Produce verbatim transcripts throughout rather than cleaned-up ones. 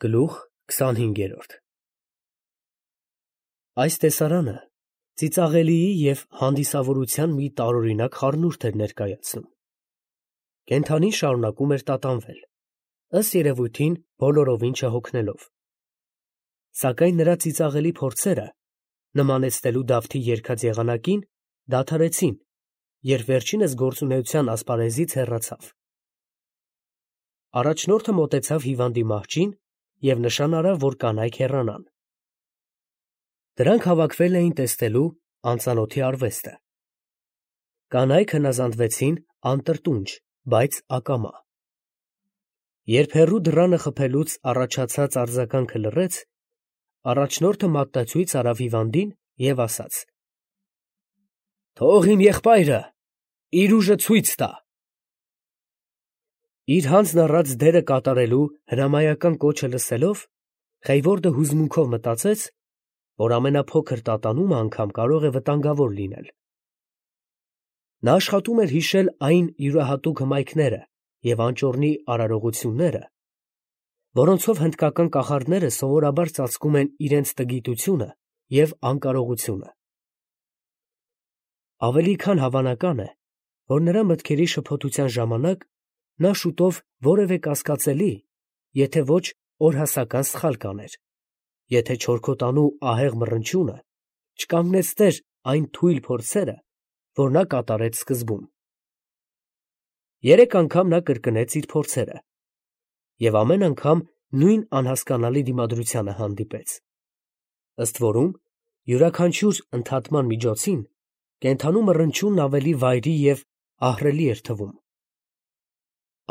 Գլուխ քսանհինգերորդ Այս տեսարանը ծիծաղելիի և հանդիսավորության մի տարօրինակ խառնուրդ էր ներկայացնում. կենդանին շարունակում էր տատանվել, ըստ երևույթին բոլորովին չհոգնելով, սակայն նրա ծիծաղելի փորձերը նմանեցնելու Դավթի երգած եղանակին դադարեցին, երբ վերջինս գործունեության ասպարեզից հեռացավ. առաջնորդը մոտեցավ հիվանդի մահճին և նշան արավ, որ կանայք հեռանան. դրանք հավաքվել էին տեսնելու անծանոթի արվեստը. կանայք հնազանդվեցին անտրտունջ, բայց ակամա. երբ հեռու դռանը խփելուց առաջացած արձագանքը լռեց, առաջնորդը մատնացույց արավ հիվանդին և ասաց. «Թող իմ եղբայրը իր ուժը ցույց տա»։ Իր հանձն առած դերը կատարելու հրամայական կոչը լսելով, Խեյվորդը հուզմունքով մտածեց, որ ամենափոքր տատանումը անգամ կարող է վտանգավոր լինել. նա աշխատում էր հիշել այն յուրահատուկ հմայքները և անճոռնի արարողությունները, որոնցով հնդկական կախարդները սովորաբար ծածկում են իրենց տգիտությունը և անկարողությունը։ Ավելի քան հավանական է, որ նրա մտքերի շփոթության ժամանակ նա շուտով որևէ կասկածելի, եթե ոչ օրհասական սխալ կաներ, եթե չորքոտանու ահեղ մռնչյունը չկանգնեցներ այն թույլ փորձերը, որ նա կատարեց սկզբում։ Երեք անգամ նա կրկնեց իր փորձերը, և ամեն անգամ նույն անհասկանալի դիմադրությանը հանդիպեց, ըստ որում յուրաքանչյուր ընդհատման միջոցին կենդանու մռնչյունն ավելի վայրի և ահռելի էր թվում։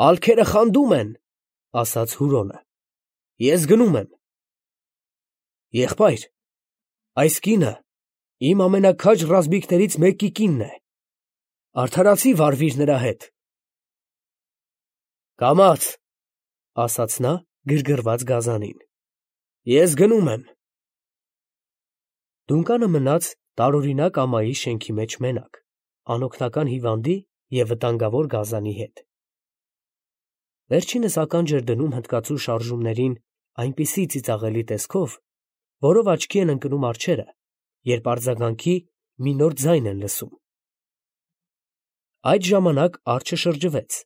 «Ալքերը խանդում են», ֊ ասաց Հուրոնը, ֊ ես գնում եմ։ «Եղբայր, այս կինը իմ ամենաքաջ ռազմիկներից մեկի կինն է, արդարացի վարվիր նրա հետ»։ «Կամաց», ֊ ասաց նա գրգռված գազանին, ֊ ես գնում եմ։ Դունկանը մնաց տարօրինակ ամայի շենքի մեջ մենակ, անօգնական հիվանդի և վտանգավոր գազանի հետ։ Վերջինս ականջ էր դնում հնդկացու շարժումներին այնպիսի ծիծաղելի տեսքով, որով աչքի են ընկնում արջերը, երբ արձագանքի մի նոր ձայն են լսում։ Այդ ժամանակ արջը շրջվեց,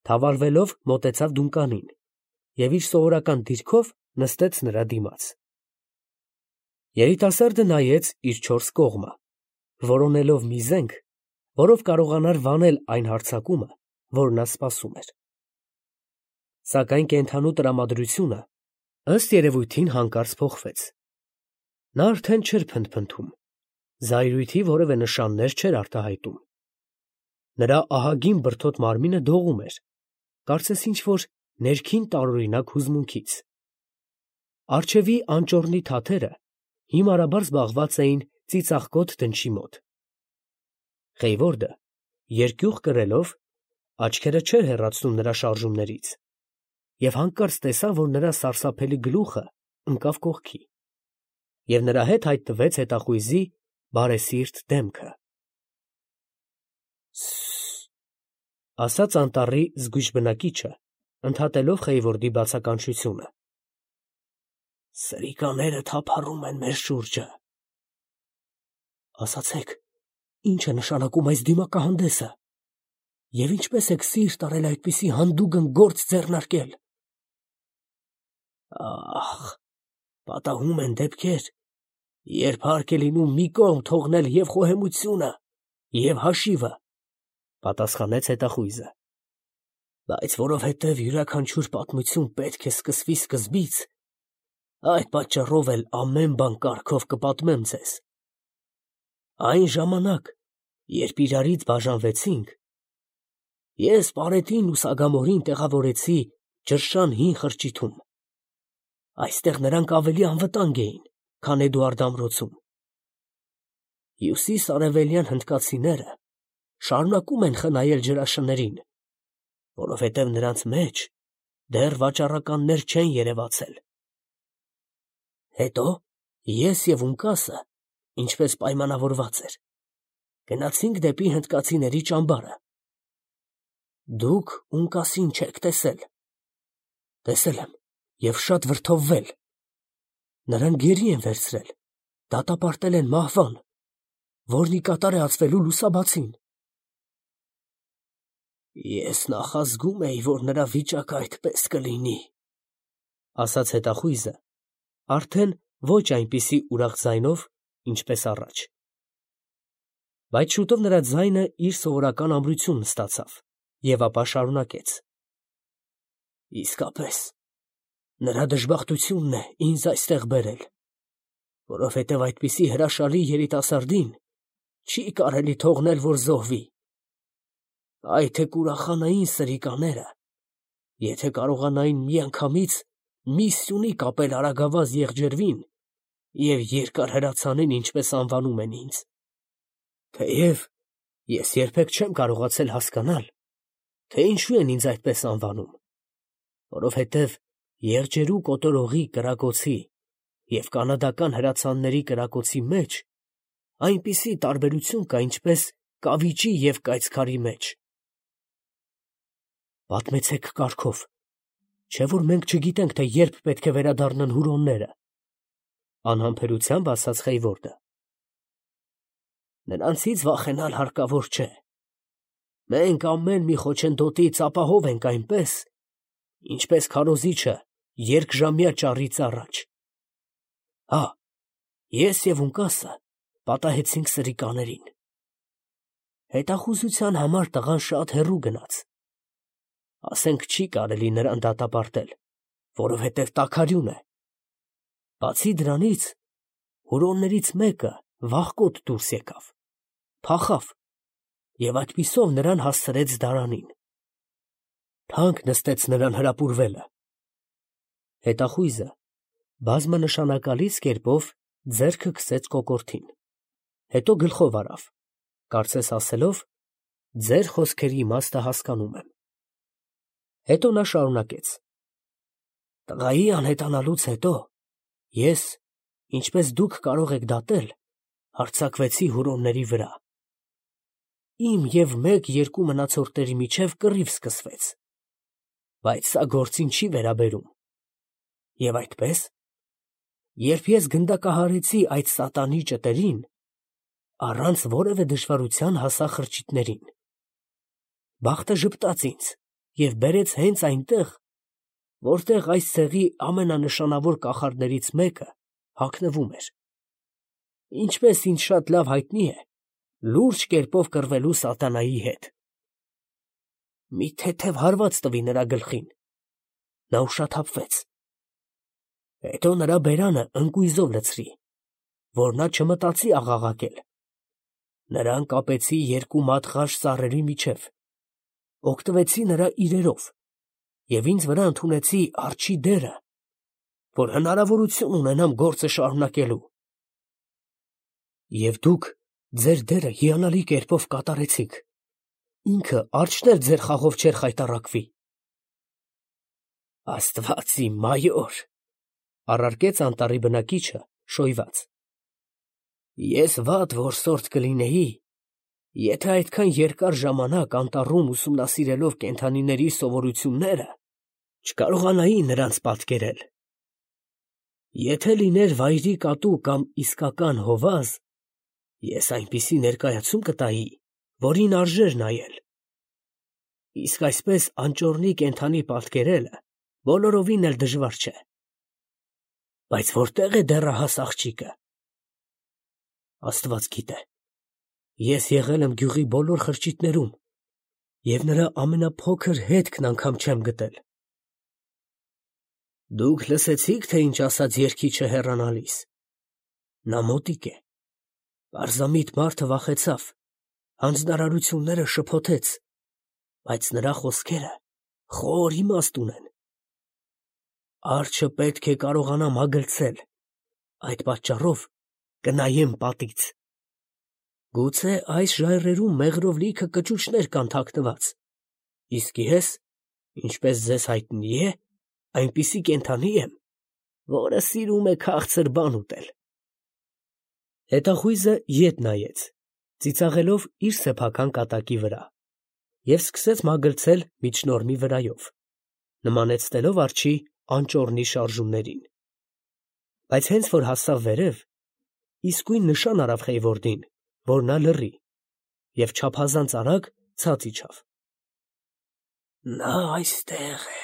թավալվելով մոտեցավ դունկանին և իր սովորական դիրքով նստեց նրա դիմաց։ Երիտասարդը նայեց իր չորս կողմը, որոնելով մի զենք, որով կարողանար վանել այն հարձակումը, որ նա սպասում էր։ Սակայն կենդանու տրամադրությունը, ըստ երևույթին, հանկարծ փոխվեց. նա արդեն չէր փնթփնթում, զայրույթի որևէ նշաններ չէր արտահայտում։ Նրա ահագին բրդոտ մարմինը դողում էր, կարծես ինչ֊որ ներքին տարօրինակ հուզմունքից։ Առջևի անճոռնի թաթերը հիմարաբար զբաղված էին ծիծաղկոտ դնչի մոտ։ Խեյվորդը, երկյուղ կրելով, աչքերը չէր հեռացնում նրա շարժումներից և հանկարծ տեսավ, որ նրա սարսափելի գլուխը ընկավ կողքի, և նրա հետ հայտնվեց հետախույզի բարեսիրտ դեմքը։ «Սը՜ս», ասաց անտառի զգույշ բնակիչը, ընդհատելով Խեյվորդի բացականչությունը։ «Սրիկաները թափառում են մեր շուրջը»։ «Ասացեք, ի՞նչ է նշանակում այս դիմակահանդեսը, և ինչպե՞ս եք սիրտ արել այդպիսի հանդուգն գործ ձեռնարկել»։ «Ա՜խ, պատահում են դեպքեր, երբ հարկ է լինում մի կողմ թողնել և խոհեմությունը, և հաշիվը», ֊ պատասխանեց հետախույզը, «բայց որովհետև յուրաքանչյուր պատմություն պետք է սկսվի սկզբից, այդ պատճառով էլ ամեն բան կարգով կպատմեմ ձեզ։ Այն ժամանակ, երբ իրարից բաժանվեցինք, ես Պարետին ու Սագամորին տեղավորեցի Ջրշան հին խրճիթում. այստեղ նրանք ավելի անվտանգ էին, քան Էդուարդ ամրոցում։ Հյուսիս֊արևելյան հնդկացիները շարունակում են խնայել ջրաշներին, որովհետև նրանց մեջ դեռ վաճառականներ չեն երևացել։ Հետո ես և Ունկասը, ինչպես պայմանավորված էր, գնացինք դեպի հնդկացիների ճամբարը։ Դուք Ունկասին չեք տեսել։ Տեսել եմ, և շատ վրդովվել. նրան գերի են վերցրել, դատապարտել են մահվան, որն ի կատար է ածվելու լուսաբացին։ Ես նախազգում էի, որ նրա վիճակը այդպես կլինի, ասաց հետախույզը, արդեն ոչ այնպիսի ուրախ ձայնով, ինչպես առաջ. բայց շուտով նրա ձայնը իր սովորական ամրությունն ստացավ և ապա շարունակեց. իսկապես, նրա դժբախտությունն է ինձ այստեղ բերել, որովհետև այդպիսի հրաշալի երիտասարդին չի կարելի թողնել, որ զոհվի։ Այ թե կուրախանային սրիկաները, եթե կարողանային միանգամից մի սյունի կապել արագավազ եղջերվին և երկար հրացանին, ինչպես անվանում են ինձ։ Թեև ես երբեք չեմ կարողացել հասկանալ, թե ինչու են ինձ այդպես անվանում, որովհետև եղջերու կոտորողի կրակոցի և կանադական հրացանների կրակոցի մեջ այնպիսի տարբերություն կա, ինչպես կավիճի և կայծքարի մեջ։ Պատմեցեք կարգով, չէ՞ որ մենք չգիտենք, թե երբ պետք է վերադառնան հուրոնները, անհամբերությամբ ասաց Խեյվորդը։ Նրանցից վախենալ հարկավոր չէ։ Մենք ամեն մի խոչընդոտից ապահով ենք այնպես, ինչպես քարոզիչը երկժամյա ճառից առաջ։ Հա, ես և ունկասը պատահեցինք սրիկաներին։ Հետախուզության համար տղան շատ հեռու գնաց։ Ասենք չի կարելի նրան դատապարտել, որովհետև տաքարյուն է։ Բացի դրանից, հուրոններից մեկը վախկոտ դուրս եկավ, փախավ և այդպիսով նրան հասցրեց դարանին։ Թանկ նստեց նրան հրապուրվելը։ Հետախույզը բազմանշանակալից կերպով ձեռքը քսեց կոկորդին, հետո գլխով արավ, կարծես ասելով. ձեր խոսքերի իմաստը հասկանում եմ։ Հետո նա շարունակեց. տղայի անհետանալուց հետո ես, ինչպես դուք կարող եք դատել, հարձակվեցի հուրոնների վրա։ Իմ և մեկ֊երկու մնացորդների միջև կռիվ սկսվեց, բայց սա գործին չի վերաբերում։ Եվ այդպես, երբ ես գնդակահարեցի այդ սատանի ճտերին, առանց որևէ դժվարության հասա խրճիթներին։ Բախտը ժպտաց ինձ և բերեց հենց այնտեղ, որտեղ այս ցեղի ամենանշանավոր կախարդներից մեկը հագնվում էր։ Ինչպես ինձ շատ լավ հայտնի է, լուրջ կերպով կռվելու սատանայի հետ։ Մի թեթև հարված տվի նրա գլխին, նա ուշաթափվեց։ Հետո նրա բերանը ընկույզով լցրի, որ նա չմտածի աղաղակել։ Նրան կապեցի երկու մատղաշ ծառերի միջև, օգտվեցի նրա իրերով և ինձ վրա ընդունեցի արջի դերը, որ հնարավորություն ունենամ գործը շարունակելու։ Եվ դուք ձեր դերը հիանալի կերպով կատարեցիք, ինքը արջն էլ ձեր խաղով չէր խայտառակվի։ Աստված իմ մայոր, առարկեց անտառի բնակիչը շոյված, ես վատ որսորդ կլինեի, եթե այդքան երկար ժամանակ անտառում ուսումնասիրելով կենդանիների սովորությունները չկարողանայի նրանց պատկերել։ Եթե լիներ վայրի կատու կամ իսկական հովազ, ես այնպիսի ներկայացում կտայի, որին արժեր նայել։ Իսկ այսպես անճոռնի կենդանի պատկերելը բոլորովին էլ դժվար չէ։ Բայց որտե՞ղ է դեռահաս աղջիկը։ Աստված գիտե, ես եղել եմ գյուղի բոլոր խրճիթներում և նրա ամենափոքր հետքն անգամ չեմ գտել։ Դուք լսեցի՞ք, թե ինչ ասաց երգիչը հեռանալիս։ Նա մոտիկ է։ Պարզամիտ մարդը վախեցավ, հանձնարարությունները շփոթեց, բայց նրա խոսքերը խոր իմաստ ունեն։ Արջը պետք է կարողանա մագլցել, այդ պատճառով կնայեմ պատից։ Գուցե այս ժայռերում մեղրով լիքը կճուճներ կան թաքնված, իսկ ես, ինչպես ձեզ հայտնի է, այնպիսի կենդանի եմ, որը սիրում է քաղցր բան ուտել։ Հետախույզը ետ նայեց, ծիծաղելով իր սեփական կատակի վրա, և սկսեց մագլցել միջնորմի վրայով, նմանեցնելով արջի անճոռնի շարժումներին։ Բայց հենց որ հասավ վերև, իսկույն նշան արավ Խեյվորդին, որ նա լռի, և չափազանց արագ ցած իջավ։ «Նա այստեղ է»,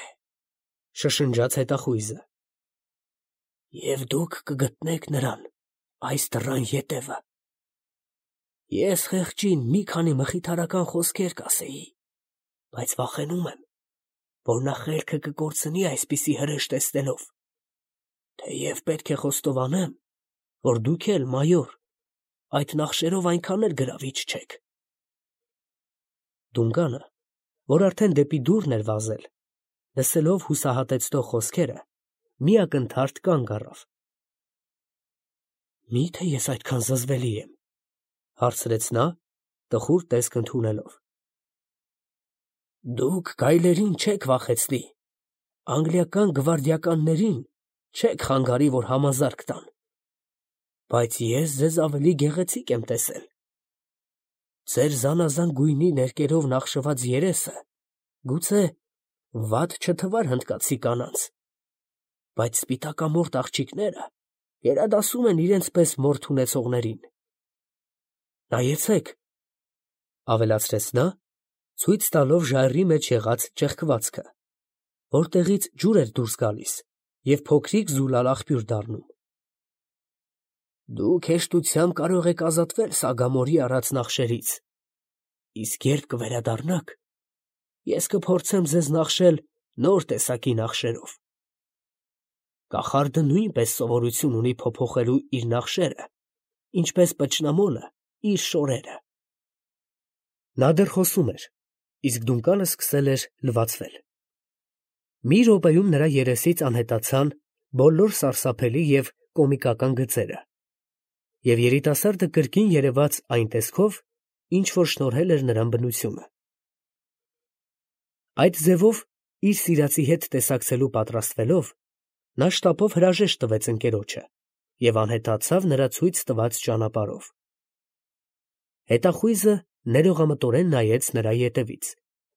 շշնջաց հետախույզը, «և դուք կգտնեք նրան այս դռան ետևը։ Ես խեղճին մի քանի մխիթարական խոսքեր կասեի, բայց վախենում եմ, որ նա խելքը կկորցնի այսպիսի հրեշ տեսնելով, թեև պետք է խոստովանեմ, որ դուք էլ, մայոր, այդ նախշերով այնքան էլ գրավիչ չեք»։ Դունկանը, որ արդեն դեպի դուռն էր վազել, լսելով հուսահատեցնող խոսքերը, մի ակնթարթ կանգ առավ։ «Մի՞թե ես այդքան զզվելի եմ», հարցրեց նա, տխուր տեսք ընդունելով։ «Դուք գայլերին չեք վախեցնի, անգլիական գվարդիականներին չեք խանգարի, որ համազարկ տան, բայց ես ձեզ ավելի գեղեցիկ եմ տեսել։ Ձեր զանազան գույնի ներկերով նախշված երեսը գուցե վատ չթվար հնդկացի կանանց, բայց սպիտակամորթ աղջիկները գերադասում են իրենց պես մորթ ունեցողներին։ Նայեցեք», ավելացրեց նա, ցույց տալով ժայռի մեջ եղած ճեղքվածքը, որտեղից ջուր էր դուրս գալիս և փոքրիկ զուլալ աղբյուր դառնում։ «Դուք հեշտությամբ կարող եք ազատվել Սագամորի արած նախշերից, իսկ երբ կվերադառնաք, ես կփորձեմ ձեզ նախշել նոր տեսակի նախշերով։ Կախարդը նույնպես սովորություն ունի փոփոխելու իր նախշերը, ինչպես պճնամոլը իր շորերը»։ Նա դեռ խոսում էր, իսկ Դունկանը սկսել էր լվացվել։ Մի րոպեում նրա երեսից անհետացան բոլոր սարսափելի և կոմիկական գծերը, և երիտասարդը կրկին երևաց այն տեսքով, ինչ որ շնորհել էր նրան բնությունը։ Այդ ձևով, իր սիրածի հետ տեսակցելու պատրաստվելով, նա շտապով հրաժեշտ տվեց ընկերոջը և անհետացավ նրա ցույց տված ճանապարհով։ Հետախույզը ներողամտորեն նայեց նրա ետևից,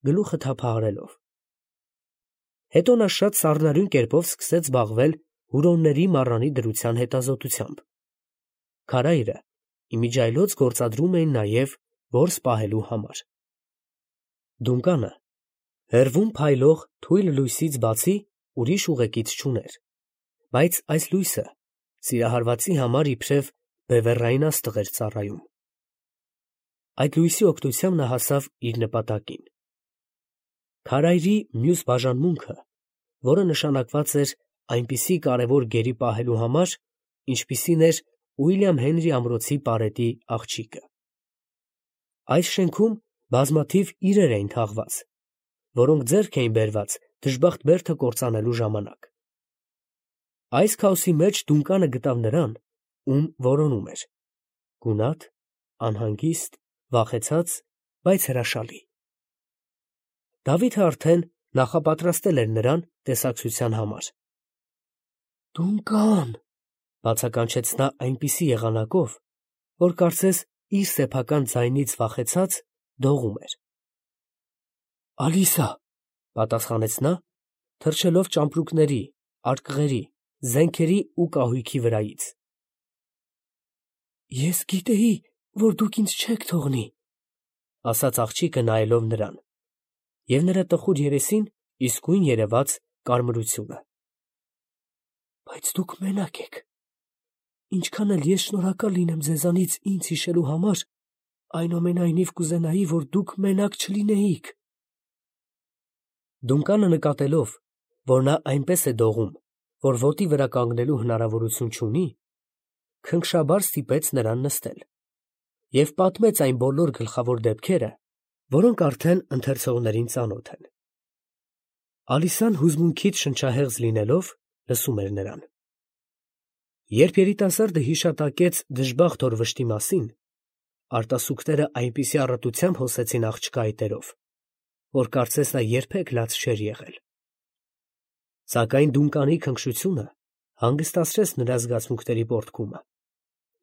գլուխը թափահարելով։ Հետո նա շատ սառնարյուն կերպով սկսեց զբաղվել հուրոնների մառանի դրության հետազոտությամբ։ Քարայրը իմիջիայլոց գործադրում էին նաև որս պահելու համար։ Դունկանը հեռվում փայլող թույլ լույսից բացի ուրիշ ուղեկից չուներ, բայց այս լույսը սիրահարվածի համար իբրև բևեռային աստղ էր ծառայում։ Այդ լույսի օգնությամբ նա հասավ իր նպատակին։ Քարայրի մյուս բաժանմունքը, որը նշանակված էր այնպիսի կարևոր գերի պահելու համար, ինչպիսին էր Ուիլյամ Հենրի ամրոցի պարետի աղջիկը։ Այս շենքում բազմաթիվ իրեր էին թաղված, որոնք ձեռք էին բերված դժբախտ բերդը կործանելու ժամանակ։ Այս քաոսի մեջ Դունկանը գտավ նրան, ում որոնում էր՝ գունատ, անհանգիստ, վախեցած, բայց հրաշալի։ Դավիթը արդեն նախապատրաստել էր նրան տեսակցության համար։ «Դունկան», բացականչեց նա այնպիսի եղանակով, որ կարծես իր սեփական ձայնից վախեցած դողում էր։ «Ալիսա», պատասխանեց նա, թռչելով ճամպրուկների, արկղերի, զենքերի ու կահույքի վրայից։ «Ես գիտեի, որ դուք ինձ չեք թողնի», ասաց աղջիկը նայելով նրան, և նրա տխուր երեսին իսկույն երևաց կարմրությունը։ «Բայց դուք մենակ եք։ Ինչքան էլ ես շնորհակալ լինեմ ձեզանից ինձ հիշելու համար, այնուամենայնիվ կուզենայի, որ դուք մենակ չլինեիք»։ Դունկանը նկատելով, որ նա այնպես է դողում, որ ոտի վրա կանգնելու հնարավորություն չունի, քնքշաբար ստիպեց նրան նստել և պատմեց այն բոլոր գլխավոր դեպքերը, որոնք արդեն ընթերցողներին ծանոթ են։ Ալիսան հուզմունքից շնչահեղձ լինելով լսում էր նրան։ Երբ երիտասարդը հիշատակեց դժբախտ օրվշտի մասին, արտասուքները այնպիսի առատությամբ հոսեցին աղջկա այտերով, որ կարծես նա երբեք լաց չէր եղել։ Սակայն Դունկանի քնքշությունը հանգստացրեց նրա զգացմունքների պոռթկումը,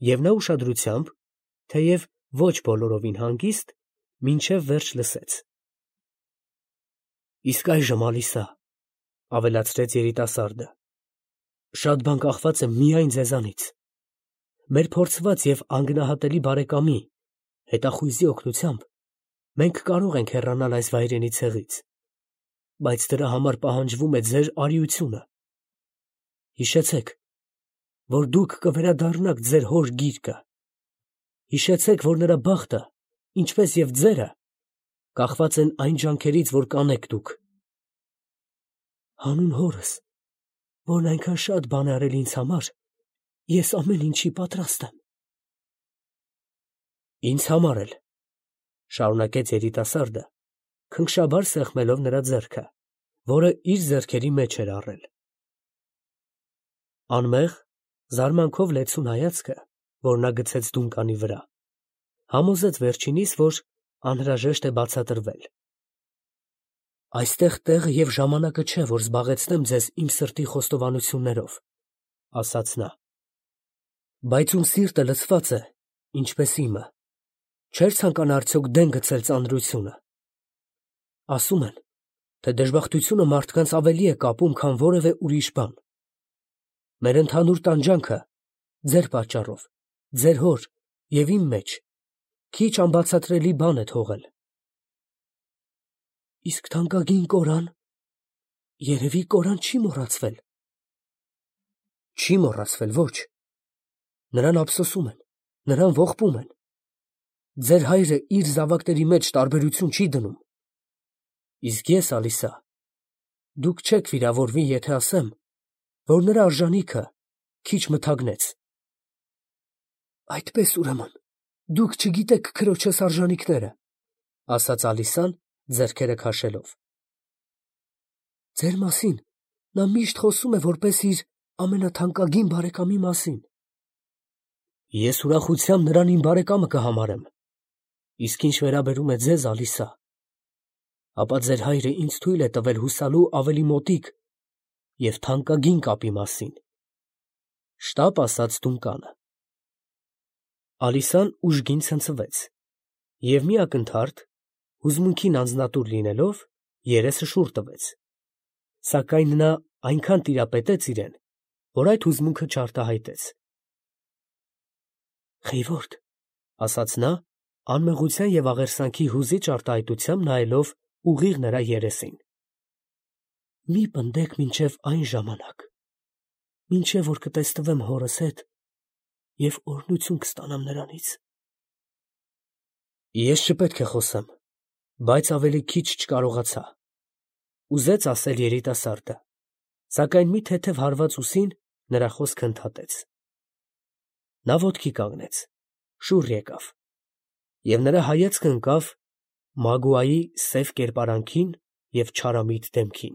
և նա ուշադրությամբ, թեև ոչ բոլորովին հանգիստ, մինչև վերջ լսեց։ «Իսկ այժմ, Ալիսա, ավելացրեց երիտասարդը։ Շատ բան կախված է միայն ձեզանից։ Մեր փորձված և անգնահատելի բարեկամի հետախույզի օգնությամբ մենք կարող ենք հեռանալ այս վայրենի ցեղից, բայց դրա համար պահանջվում է ձեր արիությունը։ Հիշեցեք, որ դուք կվերադառնաք ձեր հոր գիրկը։ Հիշեցեք, որ նրա բախտը, ինչպես և ձերը, կախված են այն ջանքերից, որ կանեք դուք։ Հանուն հորս, որն այնքան շատ բան է արել ինձ համար, ես ամեն ինչի պատրաստ եմ։ Ինձ համար էլ, շարունակեց երիտասարդը, քնքշաբար սեղմելով նրա ձեռքը, որը իր ձեռքերի մեջ էր առել։ Անմեղ, զարմանքով լեցուն հայացքը, որ նա գցեց Դունկանի վրա, համոզեց վերջինիս, որ անհրաժեշտ է բացատրվել։ Այստեղ տեղը և ժամանակը չէ, որ զբաղեցնեմ ձեզ իմ սրտի խոստովանություններով, ասաց նա, բայց ում սիրտը լցված է, ինչպես իմը, չէր ցանկանա արդյոք դեն գցել ծանրությունը։ Ասում են, թե դժբախտությունը մարդկանց ավելի է կապում, քան որևէ ուրիշ բան։ Մեր ընդհանուր տանջանքը ձեր պատճառով, ձեր հոր և իմ մեջ քիչ անբացատրելի բան է թողել։ Իսկ թանկագին կորան, երևի կորան չի մոռացվել։ Չի մոռացվել, ոչ։ Նրան ափսոսում են, նրան ողբում են։ Ձեր հայրը իր զավակների մեջ տարբերություն չի դնում։ Իսկ ես, Ալիսա, դուք չեք վիրավորվի, եթե ասեմ, որ նրա արժանիքը քիչ մթագնեց։ Այդպես, ուրեմն, դուք չգիտեք քրոջս արժանիքները, ասաց Ալիսան, ձեռքերը քաշելով։ Ձեր մասին նա միշտ խոսում է որպես իր ամենաթանկագին բարեկամի մասին։ Ես ուրախությամբ նրան իմ բարեկամը կհամարեմ։ Իսկ ինչ վերաբերում է ձեզ, Ալիսա, ապա ձեր հայրը ինձ թույլ է տվել հուսալու ավելի մոտիկ և թանկագին կապի մասին։ Շտապ ասաց Դունկանը։ Ալիսան ուժգին ցնցվեց և մի ակնթարթ, հուզմունքին անձնատուր լինելով, երեսը շուռ տվեց, սակայն նա այնքան տիրապետեց իրեն, որ այդ հուզմունքը չարտահայտեց։ Խիվորդ, ասաց նա, անմեղության և աղերսանքի հուզիչ արտահայտությամբ նայելով ուղիղ նրա երեսին։ Մի պնդեք մինչև այն ժամանակ, մինչև որ կտսնվեմ հորս հետ և օրհնություն կստանամ նրանից։ Ես չպետք է խոսեմ, բայց ավելի քիչ չկարողացա, ուզեց ասել երիտասարդը, սակայն մի թեթև հարված ուսին նրա խոսքը ընդհատեց։ Նա ոտքի կանգնեց, շուռ եկավ, և նրա հայացքը ընկավ Մագուայի սև կերպարանքին և չարամիտ դեմքին։